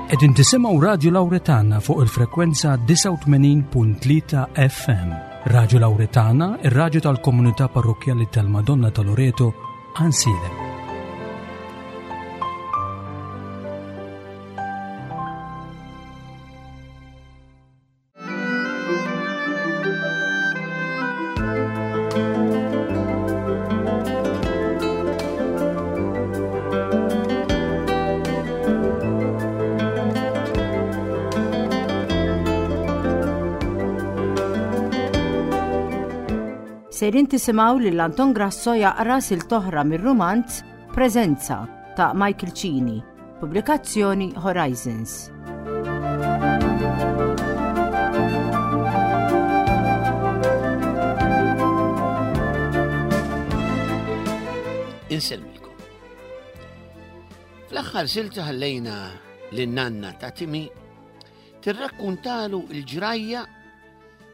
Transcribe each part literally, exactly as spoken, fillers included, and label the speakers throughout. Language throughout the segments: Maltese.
Speaker 1: Qegħdin tisimgħu Radio Lauretana fuq il-frekwenza disgħa u tmenin punt tlieta F M. Radio Lauretana, ir-radju tal-komunità parrokkjali tal-Madonna ta' Loreto, Għajnsielem.
Speaker 2: Sejrin tisimgħu lil Anton Grasso jaqra silta oħra mir-rumanz Preżenza ta' Michael Cini, pubblikazzjoni Horizons.
Speaker 3: Insellmilkom. Fl-aħħar silta ħallejna lin-nanna ta' Timi tirrakkuntalu l-ġrajja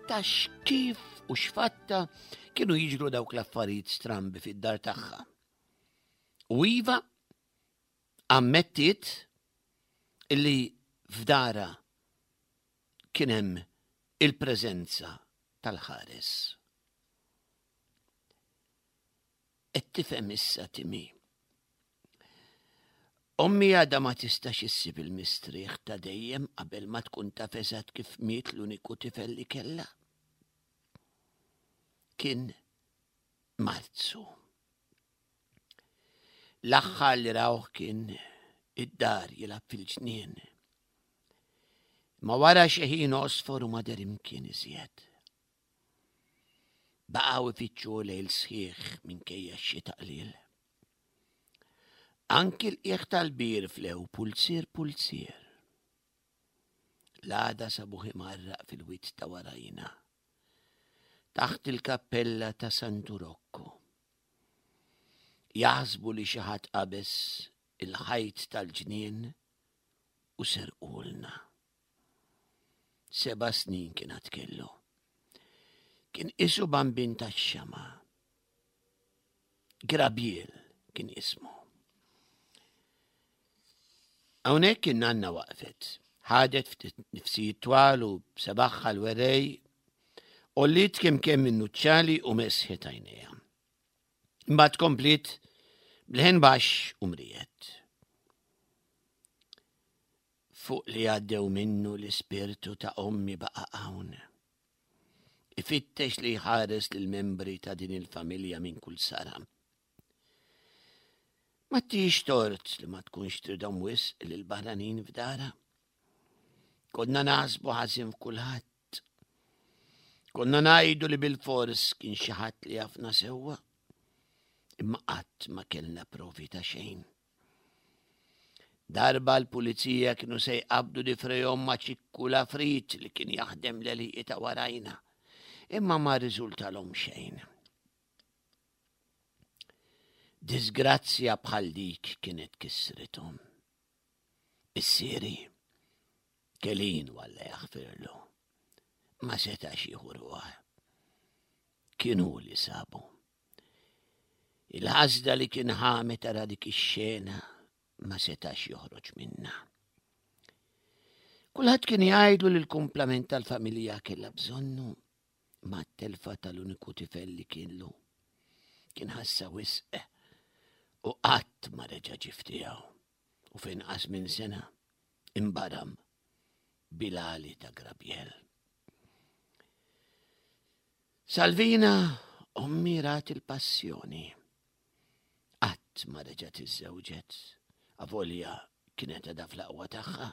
Speaker 3: ta' x'kif u x'fatta kienu jiġru dawk l-affarijiet strambi fid-dar tagħha. U iva ammettiet illi f'dara kien hemm il-preżenza tal-ħares. Qed tifhem issa Timi. Ommi għadha ma tistax issib il-mistrieħ ta' dejjem qabel ma tkun taf eżatt kif miet l-uniku tifel li kellha. Kien Marzu. L-aħħar li rawh kien id-dar jilgħab fil-ġnien. Ma wara xi ħin għosfor u ma deher imkien iżjed. Baqgħu ifittxu lejl sħiħ minkejja x-xita qliel. Anki l-qiegħ tal-bir flew pulzier pulzier. L-għada sabuħ imarraq fil-wied ta' warajna, taħt il-kappella ta' Santu Rocco. Jaħsbu li xi ħadd qabeż il-ħajt tal-ġnien u serqulna. Seba' snin kien għad kellu. Kien isu bambin tax-xama. Grabiel kien ismu. Hawnhekk in-nanna waqfet, ħadet ftit nifsijiet twal u b'sebaħħa l-werrej, għolliet kemm kemm in-nuċċali u mesħet għajnejha. Imbagħad kompliet b'leħen baxx u mrijet. Fuq li għaddew minnu l-ispirtu ta' ommi baqa' hawn. Ifittex li jħares lill-membri ta' din il-familja minn kull sara. Ma tix tort li ma tkunx tridhom wisq lil barranin f'dara. Konna naħsbu ħażin f'kulħadd. Konna ngħidu li bil-fors kien xi ħadd li jafna sewwa, imma qatt ma kellna provi ta' xejn. Darba l-pulizija kienu se jqabdu di frejhom ma' Ċikku Lafrit li kien jaħdem l-għelieqi ta' warajna, imma ma rriżultalhom xejn. Disgrazzja bħal dik kienet kissrithom. Missieri, Kelin walla jaħfirlu, ma setax jieħu ruħ. Kien hu li sabu. Il-ħasda li kien ħamet ara dik ix-xena ma setax joħroġ minna. Kulħadd kien jgħidlu li l-kumplament tal-familja kellha bżonnu, ma t-telfa tal-uniku tifel li kienlu. Kien ħassa wisq u qatt ma reġa' ġie tiegħu. U f'inqas minn sena imbaram bilali ta' Grabiel. Salvina ommi rat il-passjoni. Qatt ma reġgħet iżżewġet, avolja kienet għadha fl-aqwa tagħha.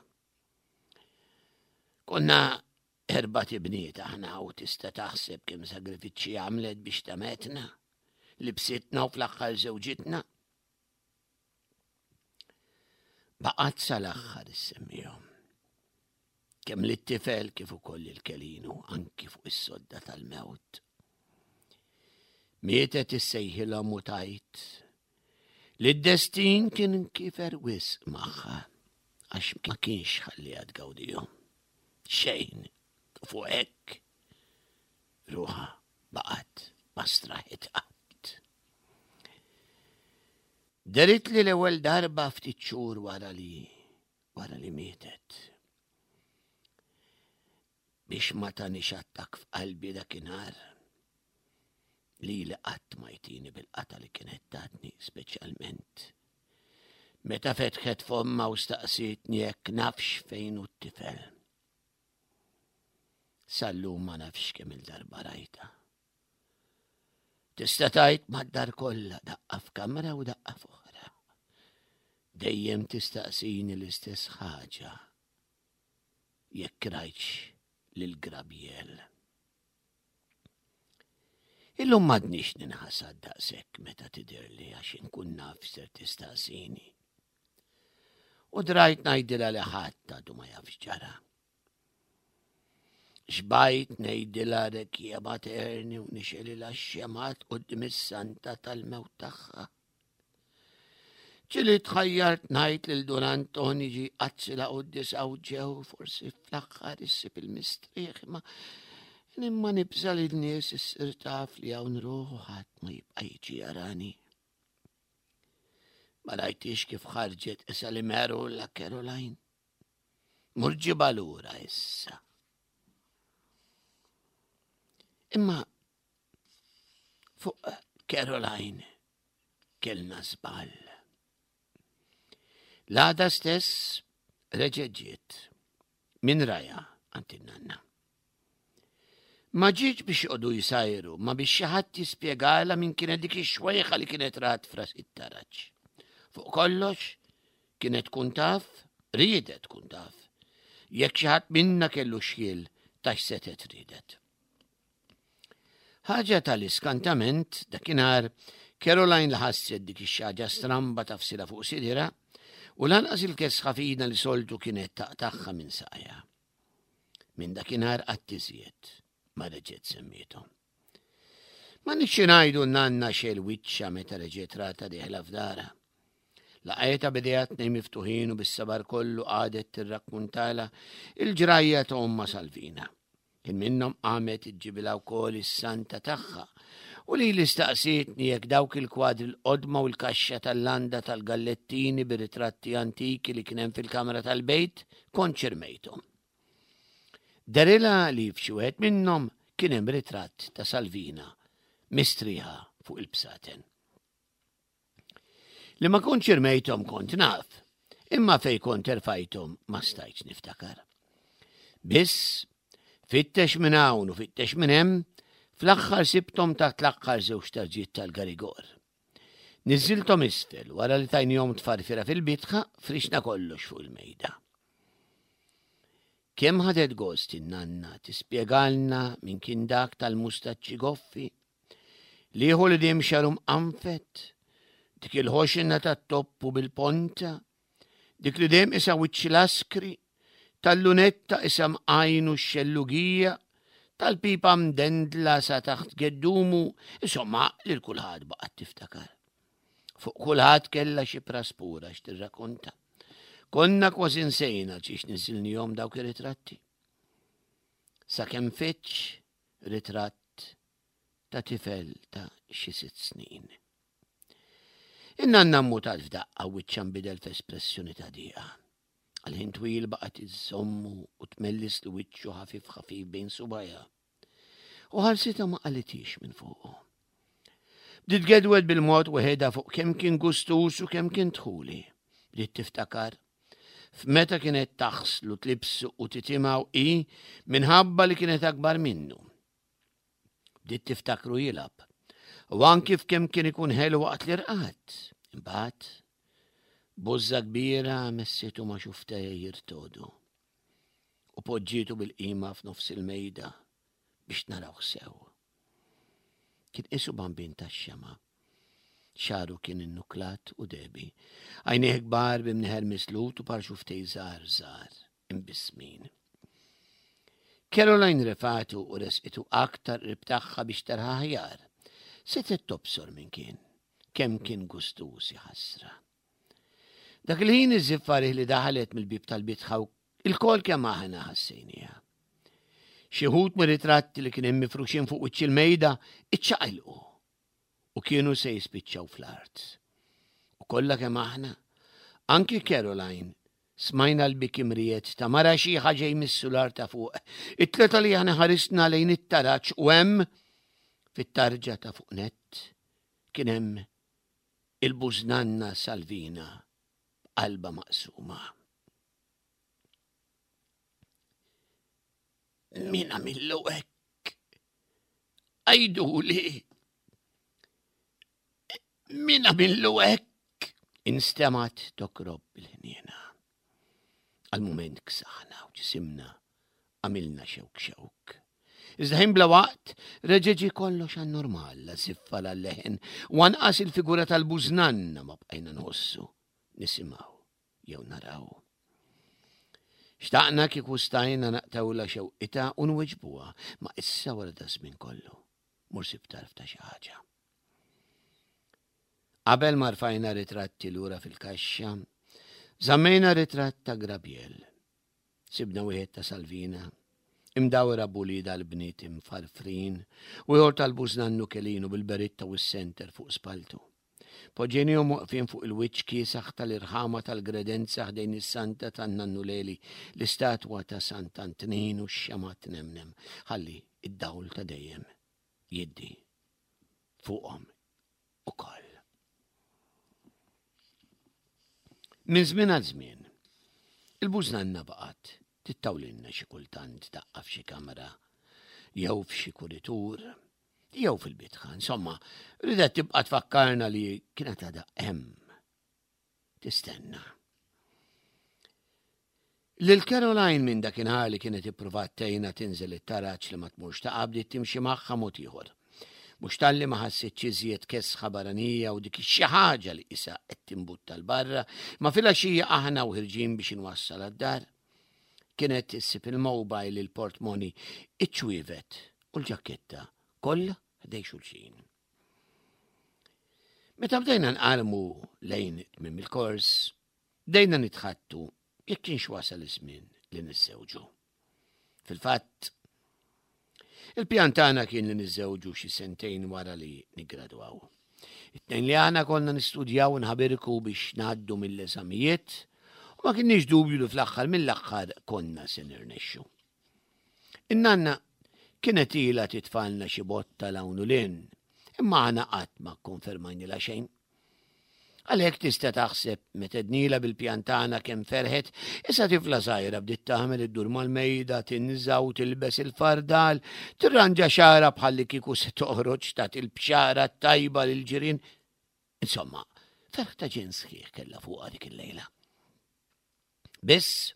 Speaker 3: Konna erba' tibniet aħna u tista' taħseb kemm sagrifiċċji għamlet biex tametna, libsitna u fl-aħħar żewġitna. Baqgħet sal-aħħar issemmihom. Kemm lit-tifel kif ukoll il-Kelinu anki fuq is-sodda tal-mewt. Mietet issejħilhom u tajt li d-destin kien kifer wisq magħha għax ma kienx ħalliha tgawdihom. Xejn u fuq hekk ruħha baqgħet ma straħet qatt. Derit li l-ewwel darba ftit xhur wara li wara li mietet. Biex ma tanix attak f'qalbi dakinhar li li qatt ma jtini bil-qata li kienet tatni speċjalment. Meta fetħet fomma u staqsietni jekk nafx fejn hu t-tifel. Sal-lum ma nafx kemm il-darba rajta. Tista' tgħid mad-dar kollha daqqa f'kamra u daqqa f'oħra. Dejjem tistaqsini l-istess ħaġa. Jekk rajtx lil Grabiel. Illum m'għadnix ninħasad daqshekk meta tidhirli għax inkun naf ser tistaqsini. U drajt ngħidilha li ħadd għadu ma jafx ġara. Xbajt ngħidilha rekja materni u nixgħelilha x-xemgħat quddiem is-santa tal-mewt tagħha. Ġieli tħajjart ngħid lil Dun Anton jiġi jqaddsilha quddiesa hawn ġew forsi fl-aħħar issib il-mistrieħ imma imma nibża' li n-nies issir taf li hawn ruħ u ħadd ma jibqa' jiġi jarani. Ma rajtix kif ħarġet issa li meru la Caroline. Mur ġibha lura issa. Imma fuq Caroline kellna żball. L-għada stess reġgħet ġiet minn raja għand in-nanna. Ma ġietx biex joqogħdu jsajru, ma biex xi ħadd jispjegalha min kienet dik ix-xwejħa li kienet rat f'ras it-taraġ. Fuq kollox, kienet tkun taf, riedet tkun taf, jekk xi ħadd minna kellu xhiel ta' x'setgħet riedet. Ħaġa tal-iskantament dakinhar Caroline la ħasset dik ix-xaġa stramba tafsila fuq sidira u lanqas il-kesħa fina li soltu kienet taqtagħha minn saqajha. Minn dakinhar qatt iżjed ma reġgħet semmiethom. Ma nixxi ngħidu nanna xel wiċċha meta reġgħet rata dieħla f'dara. Laqgħetha b'idejha tnejn miftuħin u bis-sabar kollu qagħdet tirrakkuntala il-ġrajja ta' ommha Salvina. Kien minnhom qamet iġġibilha wkoll is-santa tagħha u li li staqsietni jekk dawk il-kwadri l-qodma u l-kaxxa tal-landa tal-gallettini bir-ritratti antiki li kien hemm fil-kamra tal-bejt kontx irmejthom. Derilha li f'xi wieħed minnhom kien hemm ritratt ta' Salvina mistrieħa fuq il-bsaten. Li ma kontx irmejthom kont naf, imma fej kont erfajthom ma stajtx niftakar. Biss, fittex minn hawn u fittex minn hemm, fl-aħħar sibthom taħt l-aħħar żewġ tarġiet tal-garigor. Niżżilthom isfel wara li tajnihom tfarfira fil-bitħa, frixna kollox fuq il-mejda. Kemm ħadet gost in-nanna tispjegalna min kien dak tal-mustaċċi goffi, liħu li dejjem xaru mqanfet, dik il-ħoxina tat-toppu bil-ponta, dik li dejjem isa wiċċ laskri, tal-lunetta isa mqajnu x-xellugija, tal-pipa mdendla sa taħt geddumu, insomma lil kulħadd baqgħet tiftakar. Fuq kulħadd kellha xi praspura x'tirrakonta. Konna kważi nsejna ġiex niżilnihom dawk ir-ritratti. Sakemm fitx ritratt ta' tifel ta' xi sitt snin. In-nanna mmutat f'daqqa wiċċha nbidel f'espressjoni ta' dieqa. Għal ħin twil baqgħet iżżommu u tmellis li wiċċu ħafif ħafif bejn subajha. U ħarsitha ma qalitix minn fuqu. Bdiet gedwed bil-mod weħedha fuq kemm kien gustus u kemm kien dħuli. Bdiet tiftakar f'meta kienet taħslu tlibsu u titimgħu hi minħabba li kienet akbar minnu. Bdiet tiftakru jilgħab. U anki f'kemm kien ikun ħelu waqt li rqad. Imbagħad bużża kbira messitu ma' xuftejha jirtodu u poġġietu bil-qima f'nofs il-mejda biex narawh sew. Kien qisu bambin tax-xema'. Xagħru kien innuklat u debi. Għajnejh kbar b'imnieħer mislut u par xuftej żgħar żgħar imbissmin. Caroline refatu u resqitu aktar qrib tagħha biex tarha aħjar. Setgħet tobsor min kien, kemm kien gustuż ħasra. Dak il-ħin iż-żiffarih li daħlet mill-bib tal-bitħa il-kol kemm aħna ħassejniha. Xi wħud mir-ritratti li kien hemm mifruxin fuq wiċċ il-mejda iċċaqilqu u kienu se jispiċċaw fl-art. U kollha kemm aħna, anki Caroline Smajna l-biki mriet ta' mara xiħa ġej mis-sular ta' fuq. It-tleta li aħna ħarisna lejn it-taraġ u hemm fit-tarġa ta' fuq nett kien hemm il-bużnanna Salvina b'qalba maqsuma. Min għamillu hekk? Għiduli! Min għamillu hekk? Instemgħet tokrob bil-ħniena. Għal-mument ksaħna u ġisimna għamilna xewk xewk. Iżda ħin bla waqt reġa' ġie kollox għan-normal, la żiffa la leħen, u anqas il-figura tal-bużnanna ma bqajna nħossu, nisimgħu jew naraw. Xtaqna kieku stajna naqtawla xewqitha u nweġbuha, ma issa wara da żmien kollu, mur sib tarf ta' xi ħaġa. Qabel ma rfajna ritratti lura fil-kaxxa, żammejna ritratt ta' Grabiel. Sibna wieħed ta' Salvina, imdawra b'uliedha l-bniet imfarfrin, u ieħor tal-bużnannu Kelinu bil-beritta u s-senter fuq spaltu. Poġġejnihom waqfin fuq il-wiċċ kiesaħ tal-irħama tal-gredenza ħdejn is-Santa tan-Nannu Leli, l-istatwa ta' Sant'Antnin u x-xemgħa tnemnem, ħalli id-dawl ta' dejjem jiddi fuqhom ukoll. Minn żmien għal żmien, il-bużnanna baqgħet tittawlilna xi kultant daqqa f'xi kamra jew f'xi kuritur jew fil-bitħa. Insomma, ridet tibqa' tfakkarna li kienet għadha hemm tistenna. Lil Caroline minn dakinhar li kienet ippruvat tgħinha tinżel it-taraġ li ma tmurx taqa' bdiet timxi magħha mod ieħor. Mhux talli ma ħassitx iżjed kesħa barranija u dik xi ħaġa li qisha qed timbutta 'l barra, ma filgħaxija aħna u ħirġin biex inwassal għad-dar. Kienet issib il-mobile, il-portmoni, iċ-ċwievet u l-ġaketta kollha ħdej xulxin. Meta bdejna nqarmu lejn tmiem il-kors, bdejna nitħattu jekk kienx wasal iż-żmien li niżżewġu. Fil-fatt, il-pjan tagħna kien li niżżewġu xi sentejn wara li niggradwaw. It-tnejn li aħna konna nistudjaw u nħabirku biex ngħaddu mill-eżamijiet u ma kienniex dubju li fl-aħħar mill-aħħar konna se nirnexxu. In-nanna kienet ilha titfalna xi botta 'l hawn u 'l hinn, imma aħna qatt ma kkonfermajnilha xejn. Għalhekk tista' taħseb meta dnila bil-pjan tagħna kemm ferħet, issa tifla żgħira bdiet tagħmel iddur mal-mejda, tinża' u tilbes il-fardal, tirranġa xagħarha bħalli kieku se toħroġ tagħti l-bxara t-tajba lill-ġirien. Insomma, ferħ ta' ġen sħiħ kellha fuqha dik il-lejla. Biss,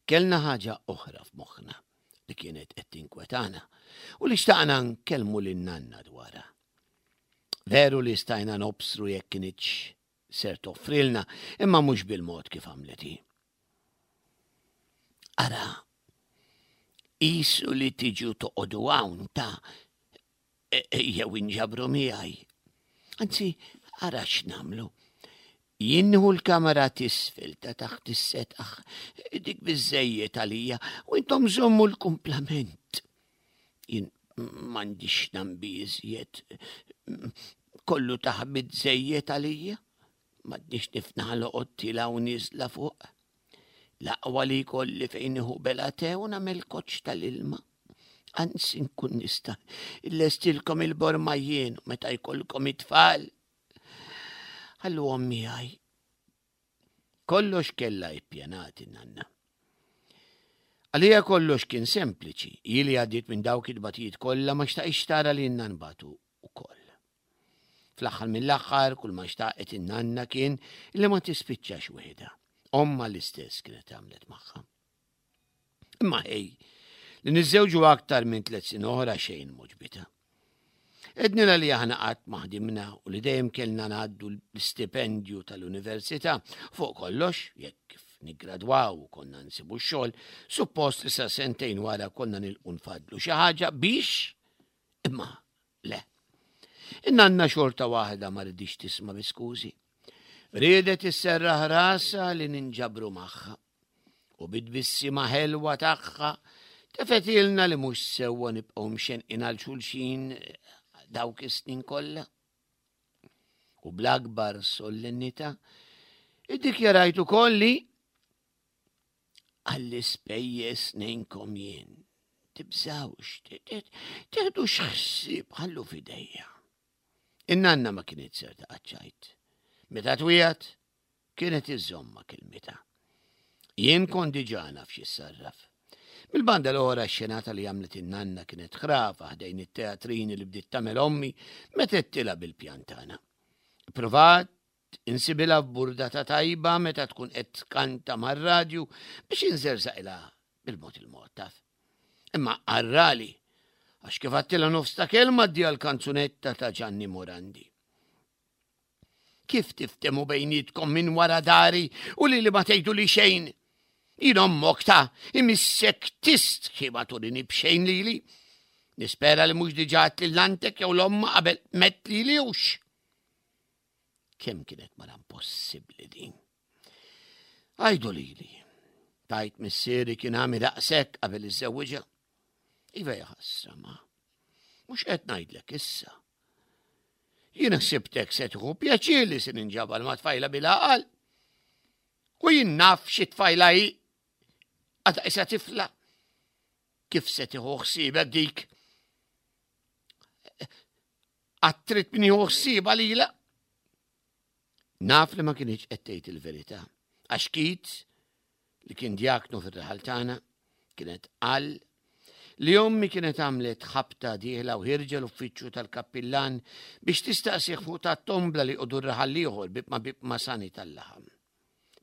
Speaker 3: kellna ħaġa oħra f'moħħna li kienet qed tinkwetana u li xtaqna nkellmu lin-nanna dwarha. Veru li stajna nobsru jekk kinitx ser toffrilna, imma mhux bil-mod kif għamlet hi. Ara, qisu li tiġu toqogħdu hawn ta' jew inġabru miegħi. Anzi, ara x'nagħmlu. Jien nieħu l-kamera t'isfel ta' taħt is-setaħ, dik biżżejjed għalija, u intom żommu l-kumplament. Jien m'għandix nambi iżjed, kollu taħbit żejjed għalija, m'għadniex nifnaħ loqgħod tilgħa u nieżla fuq. L-aqwa li jkolli fejn nieħu bela te u nagħmel koċċ tal-ilma. Anzi nkun nista' illestilkom il-borma jien meta jkollkom it-tfal. Ħalluhom miegħi. Kollox kellha ippjanat in-nanna. Għalija kollox kien sempliċi, hi li għaddiet minn dawk it-tbatijiet kollha ma xtaqitx tara li lilna nbatu wkoll. Fl-aħħar mill-aħħar kull ma xtaqet in-nanna kien li ma tispiċċax waħedha. Omma l-istess kienet għamlet magħha. Imma ħej, li niżżewġu aktar minn tliet snin oħra xejn moġbita. Ednila li aħna qatt ma ħdimna u li dejjem kellna ngħaddu l-istipendju tal-università fuq kollox, jekk kif niggradwaw u konna nsibu x-xogħol, suppost li sa sentejn wara konna nilqu nfadlu xi ħaġa biex imma le. In-nanna xorta waħda ma ridix tisma' bi skużi. Riedet isserraħ rasha li ninġabru magħha. U bit-tbissima ħelwa tagħha tefetilna li mhux sewwa nibqgħu mxenqin għal xulxin dawk is-snin kollha. U bl-akbar solennità iddikjarajt ukoll li Għall-ispejjeż ngħinkom jien. Tibżawx, teħdux ħsieb, ħallu f'idejja. In-nanna ma kienet ser taqaċċajt. Meta twiegħed, kienet iżżomm ma' kelmitha. Jien kont diġà naf x'issarraf. Mill-banda l-oħra x-xenata li għamlet in-nanna kienet ħrafa ħdejn it-teatrini li bdiet tagħmel ommi meta għedtilha bil-pjan tagħna. Provat insibilha burdata tajba meta tkun qed tkanta mar-radju biex inżerżaqilha bil-mod il-mod taf. Imma arrali, għax kif għedtilha nofs ta' kelma di l-kanzunetta ta' Gianni Morandi. Kif tiftehmu bejnietkom minn wara dari u li li ma tgħidu li xejn? Jien ommok ta' imissek tistħi ma turini b'xejn lili. Nispera li mhux diġà li l-antek jew l-omma qabel met li li hux. Kemm kienet mara impossibbli din. Għajdu lili. Tajt missieri kien għami daqshekk qabel iżżewwiġha. Iva jaħasra ma. Mhux qed ngħidlek issa. Jien ħsibtek se tieħu pjaċir li se ninġabal ma' tfajla bil-għaqal. U jien naf xi tfajla hi għadha isa tifla. Kif se tieħu ħsiebek dik? Għad trid min jieħu ħsiebha lila? Naf li ma kienx qed tgħid il-verità. Għax Kit li kien djaknu fir-raħal tagħna kienet qal li ommi kienet għamlet ħabta dieħla u ħierġa l-uffiċċju tal-kappillan biex tistaqsih fuq ta' tombla li qodu raħal ieħor bib ma bib ma' sani tal-laħam.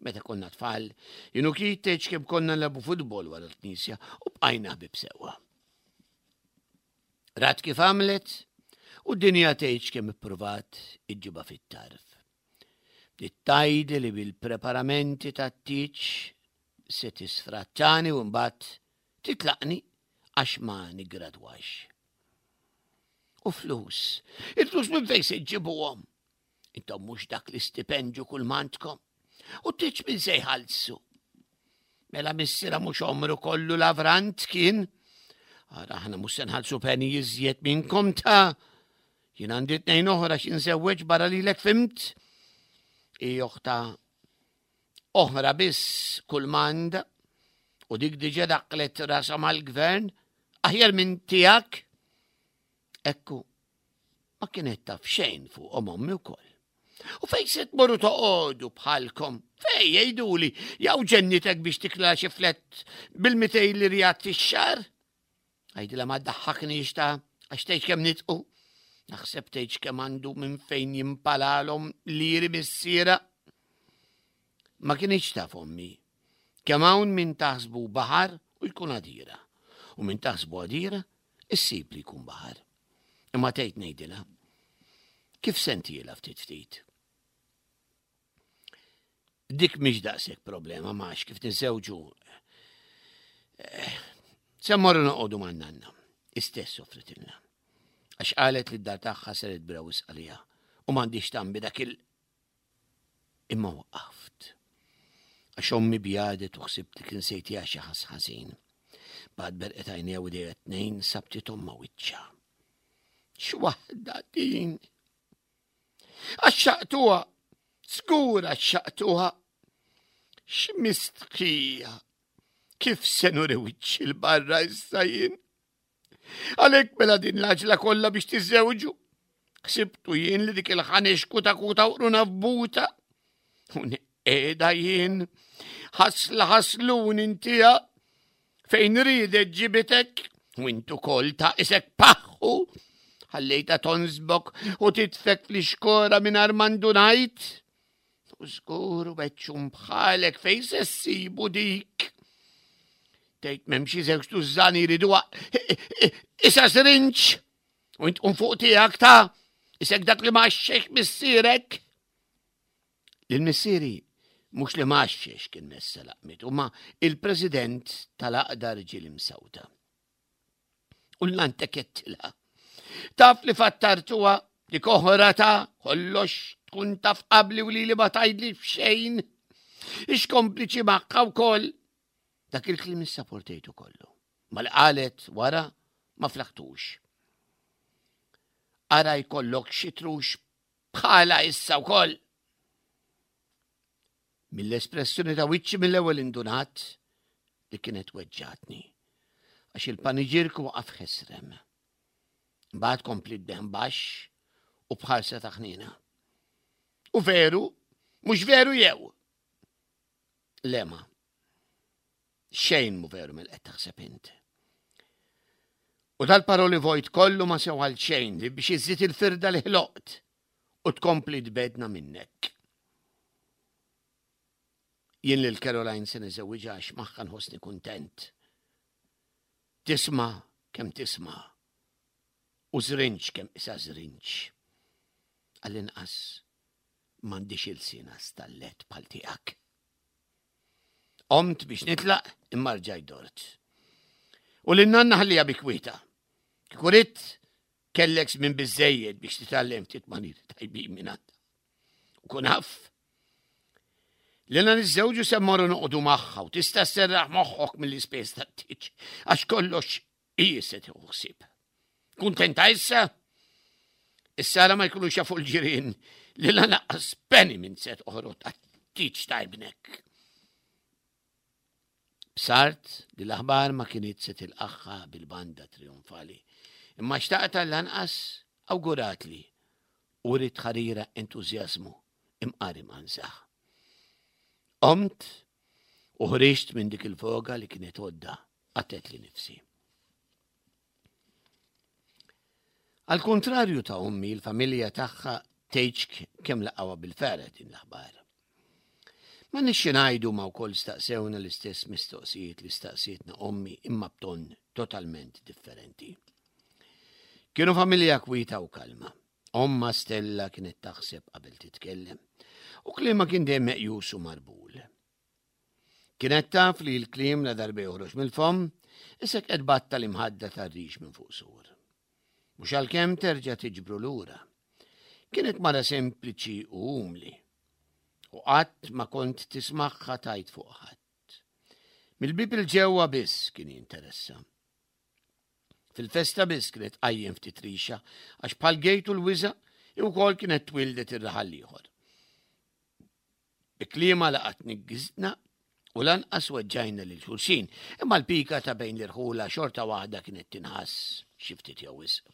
Speaker 3: Meta konna tfal, jien u Kit tgħidx kemm konna nilagħbu futbol wara l-knisja u bqajna ħbieb sewwa. Rat kif għamlet u d-dinja tgħidx kemm ippruvat iġġibha fit-tarf. Tgħidli li bil-preparamenti tat-tieġ se tisfrattani u mbagħad titlaqni għax ma nigradwax. U flus, il-flus minn fejn se ġġibuhom? Intom mhux dak l-istipendju kull m'għandkom. U t-tieġ min se jħallsu. Mela missira mhux omru kollu lavrant kien. Ara aħna mhux se nħallsu penny iżjed minnkom ta' jien għandi tnejn oħra x'inżewweġ barra lilek fhimt. I oħta oħra biss kull m'għandha u dik diġà daqqlet rasha mal-gvern aħjar minn tiegħek. Ekku, ma kienet taf xejn fuq ommi wkoll. U fej se tmorru toqogħdu bħalkom? Fej jgħiduli, jew ġennitek biex tikla xi flat bil-mitejn lirijat fix-xahar? Għajdila ma ddaħħakniex ta' għax tgħidx kemm nitqu. Naħseb tgħidx kemm għandu minn fejn jimpalalhom liri missiera. Ma kienx taf ommi. Kemm hawn min taħsbu baħar u jkun għadira. U min taħsbu għadira, issib li jkun baħar. Imma tgħid ngħidilha. Kif sentiela ftit ftit? Dik mhix daqshekk problema max kif niżewġu. Se mmorru noqogħdu man-nanna. Istess offritilna. Għax qalet li d-dar tagħha saret kbira wisq għaliha u m'għandix tambi dak il Imma waqaft. Għax ommi bjadet u ħsibt li kien sejtija xi ħass ħażin. Bad berqet għajnejha u idejha tnejn sabtithom ma' wiċċha. X'waħda din! Għaxxaqtuha, żgur għaxxaqtuha. X'mistħija! Kif se nuri wiċċi 'l barra issa jien? Għalhekk mela din l-għaġla kollha biex tiżżewġu. Ħsibtu jien li dik il-ħanex kuta kuta u qruna f'buta. U qiegħda jien ħasla ħaslun intija fejn ridet ġibitek u intu kol ta' isek paħħu ħallejta tonsbok u titfek fl-ixkora minn armandunajt. U żgur u beċċum bħalek fejn se ssibu dik. Tgħid m'hemm xi żewġ tużżani jridu isa srinċ. U int fuq tiegħek ta' isek dak li maċċex missierek. Lil-missieri mhux li maċċex kien messa laqmit, ma il-president tal-Għaqda Rġiel Imsawta. U l-lantek jettilha. Taf li fattartuha dik oħra ta' kollox tkun taf qabli u li li ma tgħidli f'xejn. Ix kompliċi magħha wkoll. Dak il-kliem issapportejtu kollu. Ma li qalet wara ma flaħtux. Ara jkollok xi trux bħala issa wkoll. Mill-espressjoni ta' wiċċi mill-ewwel indunat li kienet weġġatni, għax il-paniġirku waqaf ħesrem. Mbagħad kompliet b'leħen baxx u b'ħarsa ta' ħniena. U veru, mhux veru jew? Le ma. Xejn mhu veru mill qed taħseb int. U dal-paroli vojt kollu ma sew għal xejn li biex iżżid il-firda li ħloqt u tkompli tbegħedna minnek. Jien lil Caroline se niżewwiġha għax magħha nħossni kuntent. Tisma' kemm tisma' u żrinġ kemm isa żrinġ. Għall-inqas m'għandix ilsiena stallet bħal tiegħek. Qomt biex nitlaq imma rġajt dort. U lin-nanna ħalliha bi kwietha. Kieku ridt kellek żmien biżżejjed biex titgħallem ftit maniri tajbin minn għandha. U kun af li la niżżewġu se mmorru noqogħdu magħha u tista' sserraħ moħħok mill-ispejjeż tat-tieġ għax kollox hi se tieħu ħsieb. Kuntenta issa? Issa la ma jkunux jafu l-ġirien li lanqas penny m'int se toħroġ għat-tieġ ta' ibnek. Bsart li l-aħbar ma kienet se tilqagħha bil-banda trionfali. Imma xtaqt lanqas awguratli u wriet ħarira entużjażmu imqar imqanżaħ. Qomt u ħriġt minn dik il-foga li kienet għodda qatgħetli nifsi. Għal kontrarju ta' ommi, il-familja tagħha tgħidx kemm laqgħuha bil-ferħ din l-aħbar. Ma nixxi ngħidu ma wkoll staqsewna l-istess mistoqsijiet li staqsietna ommi imma b'ton totalment differenti. Kienu familja kwieta u kalma. Omma Stella kienet taħseb qabel titkellem u kliemha kien dejjem meqjus u marbul. Kienet taf li l-kliem la darba joħroġ mill-fomm, isek qed batta l-imħadda tar-rix minn fuq sur. Mhux għalkemm terġa' tiġbru lura. Kienet mara sempliċi u umli. U qatt ma kont tismagħha tgħid fuq ħadd. Mill-bib il-ġewwa biss kien jinteressa. Fil-festa biss kienet qajjem ftit rixa għax bħal gejtu l-wiża wkoll kienet twildet ir-raħal ieħor. Bi kliemha laqat niggizna u lanqas weġġajna lil xulxin, imma l-pika ta' bejn l-irħula xorta waħda kienet tinħass xi ftit jew wisq.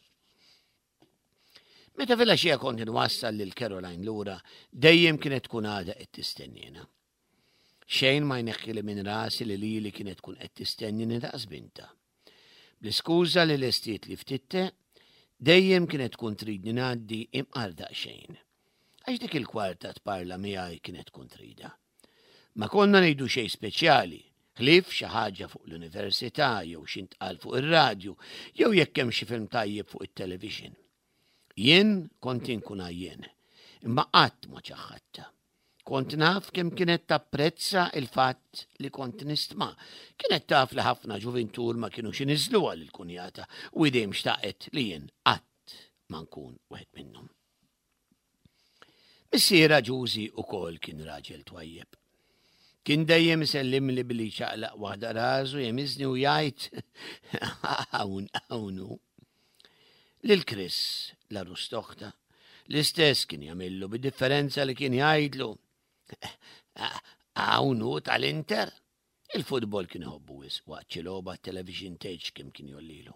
Speaker 3: Meta filgħaxija kont inwassal lil Caroline lura, dejjem kienet tkun għadha qed tistennina. Xejn ma jneħħili minn rasi li lili kienet tkun qed tistennini daqs binta. Bl-iskuża li lestiet li ftit te, dejjem kienet tkun tridni ngħaddi imqar daqsxejn. Għax dik il-kwarta tparla miegħi kienet tkun trida. Ma konna ngħidu xejn speċjali, ħlief xi ħaġa fuq l-università jew xi ntqal fuq ir-radju jew jekk hemm xi film tajjeb fuq it-television. Jien kont inkun għajjien, imma qatt ma ċaħħadtha. Kont naf kemm kienet tapprezza il-fatt li kont nistma. Kienet taf li ħafna ġuvintur ma kinux iniżżluha lill-kunjata u dejjem xtaqet li jien qatt ma nkun wieħed minnhom. Missierha Ġużi ukoll kien raġel twajjeb. Kien dejjem isellimli billi ċaqlaq waħda rasu jemiżni u jgħid hawn hawn hu. Lil Chris l-għarus t'oħtha l-istess kien jagħmillu bid-differenza li kien jgħidlu hawn hu tal-Inter. Il-futbol kien iħobbu wisq waqt xi logħba television tgħidx kemm kien jollilu.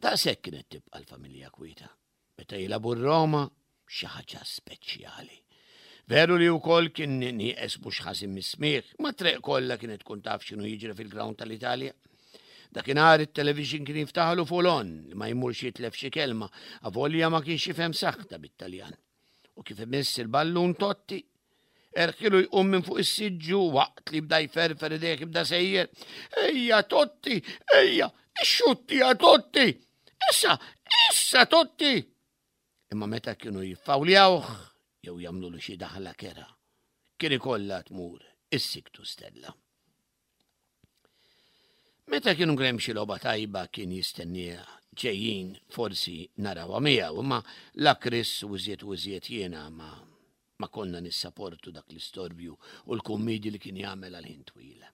Speaker 3: Daqshekk kienet tibqa' l-familja kwieta. Meta jilagħbu Roma xi ħaġa speċjali. Veru li wkoll kien nieqes mhux ħażin mis-smigħ, ma triq kollha kienet tkun taf x'inhu jiġri fil-ground tal-Italja. Dakinhar it-television kien jiftaħlu full on li ma jmurx jitlef xi kelma, avolja ma kienx jifhem saħta bit-Taljan. U kif imiss il-ballun Totti, erħilu jqum minn fuq is-siġġu waqt li bda jferfer idejh jibda sejjer. Ejja Totti, ejja, ixxutti ja Totti! Issa, issa Totti! Imma meta kienu jiffawljawh jew jagħmlulu xi daħla kera, kien ikollha tmur is-siktu Stella. Meta kienu hemm xi logħba tajba kien jistenniha ġejjin forsi narawha miegħu, imma la Chris u iżjed u iżjed jiena ma ma konna nissaportu dak l-istorbju u l-kummidi li kien jagħmel għal ħin twil.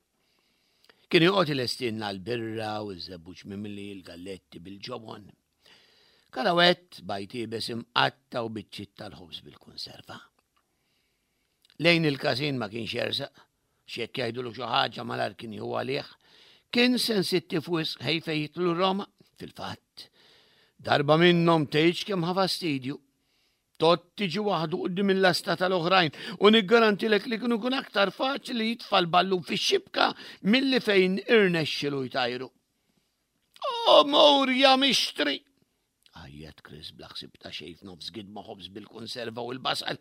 Speaker 3: Kien joqgħod ilestilna l-birra u ż-żebbuġ mimli l-galletti bil-ġobon. Karawett bajd iebes imqatta' u biċċiet tal-ħobż bil-konserva. Lejn il-każin ma kienx jersaq. X'jekk jgħidulu xi ħaġa malajr kien jieħu għalih. Kien sensittiv wisq ħej fejn jidħlu Roma. Fil-fatt, darba minnhom tgħidx kemm ħa fastidju. Totti ġie waħdu quddiem il-lasta tal-oħrajn u niggarantilek li kienu kun aktar faċli jitfa' l-ballun fix-xibka milli fejn irnexxilu jtajru. O mur ja mixtri! Għajjat Chris bla ħsieb ta' xejn f'nofs gidma ħobż bil-konserva u l-basal.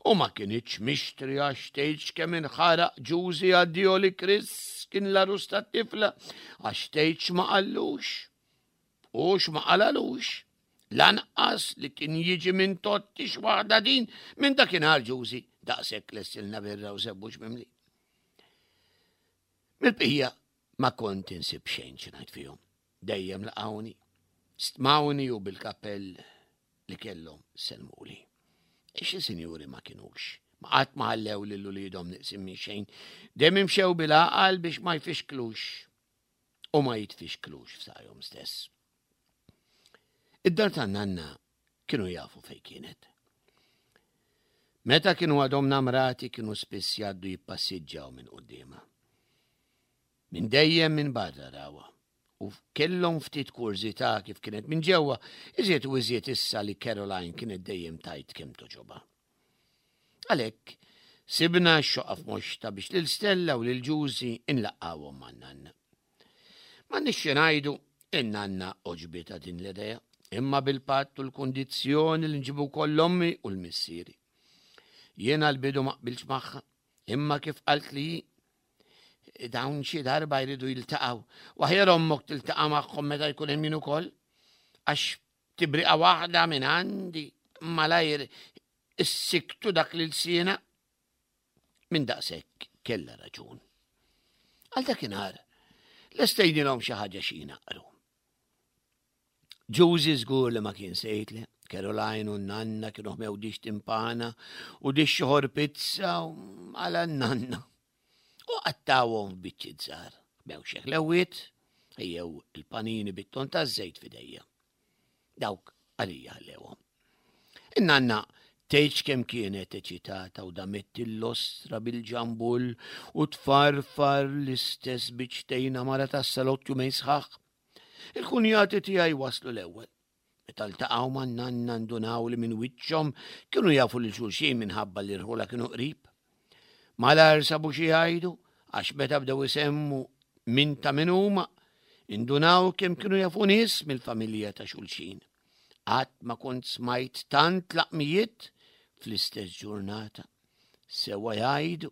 Speaker 3: U ma kinitx mixtri għax tgħidx kemm inħaraq Ġużi addio li Chris kien l-għarus tat-tifla għax tgħidx ma qallux. U x'ma qalalux. Lanqas li kien jiġi minn Totti x'waħda din minn dakinhar Ġużi daqshekk lessilna birra u żebbuġ mimli. Mill-bqija ma kont insib xejn xi ngħid fihom. Dejjem laqgħuni. Stmawni u bil-kappell li kellhom sellmuli. Xi sinjuri ma kinux. Ma qatt ma ħallew lil uliedhom neqsin minn xejn. Dejjem imxew bil-għaqal biex ma jfixklux u ma jitfixklux f'saqajhom stess. Id-dar tan-nanna kienu jafu fejn kienet. Meta kienu għadhom namrati kienu spiss jgħaddu jippassiġġaw minn quddiemha. Minn dejjem minn barra rawha. U kellhom ftit kurżità kif kienet minn ġewwa, iżjed u iżjed issa li Caroline kienet dejjem tajt kemm toġobha. Għalhekk, sibna x-xoqqa f'moxta biex lil Stella u lil Ġużi inlaqqawhom man-nanna. M'għandniex xi ngħidu, in-nanna għoġbitha din l-idea, imma bil-patt u l-kundizzjoni li nġibu wkoll l-ommi u l-missieri. Jiena l-bidu ma qbiltx magħha, imma kif qalt li dawn xi darba jridu jiltaqgħu. U aħjar ommok tiltaqa' magħhom meta jkun hemm min ukoll, għax tibriqa waħda minn għandi malajr issiktu dak li lsiena. Minn daqshekk kellha raġun. Għal dakinhar lestejnilhom xi ħaġa xi jnaqru. Ġużi żgur li ma kien sejtle, Caroline u n-nanna kienu ħmew dix timpana u dix xoħor pizza għala n-nanna. U qattawhom f'biċċiet żgħar. Ħmew xi ħlewwiet, ejjew il-panini bit-ton taż-żejt f'idejja. Dawk għalija ħallewhom. In-nanna tgħidx kemm kienet eċitata u damet il-lostra bil-ġambull u tfarfar l-istess biċċtejn mara tas-salott jumejn sħaħ. Il-kunjati tiegħi waslu l-ewwel. Meta ltaqgħu man-nanna ndunaw li minn wiċċhom kienu jafu lil xulxin minħabba li rħula kienu qrib. Malajr sabu xi jgħidu għax meta bdew isemmu min ta' min huma, indunaw kemm kienu jafu nies mill-familja ta' xulxin. Qatt ma kont smajt tant laqmijiet fl-istess ġurnata. Sewa jgħidu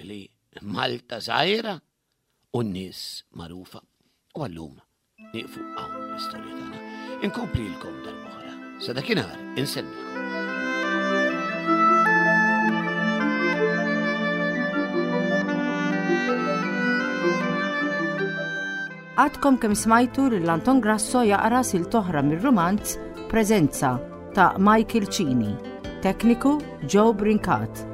Speaker 3: li Malta żgħira u n-nies magħrufa. U għallum nieqfu hawn l-istorja tagħna. Inkomplilkom darb'oħra. Sa dakinhar insellmilkom.
Speaker 2: Għadkom kemm smajtu lil Anton Grasso jaqra silta oħra mir-rumanz Preżenza ta' Michael Cini. Tekniku Joe Brincat.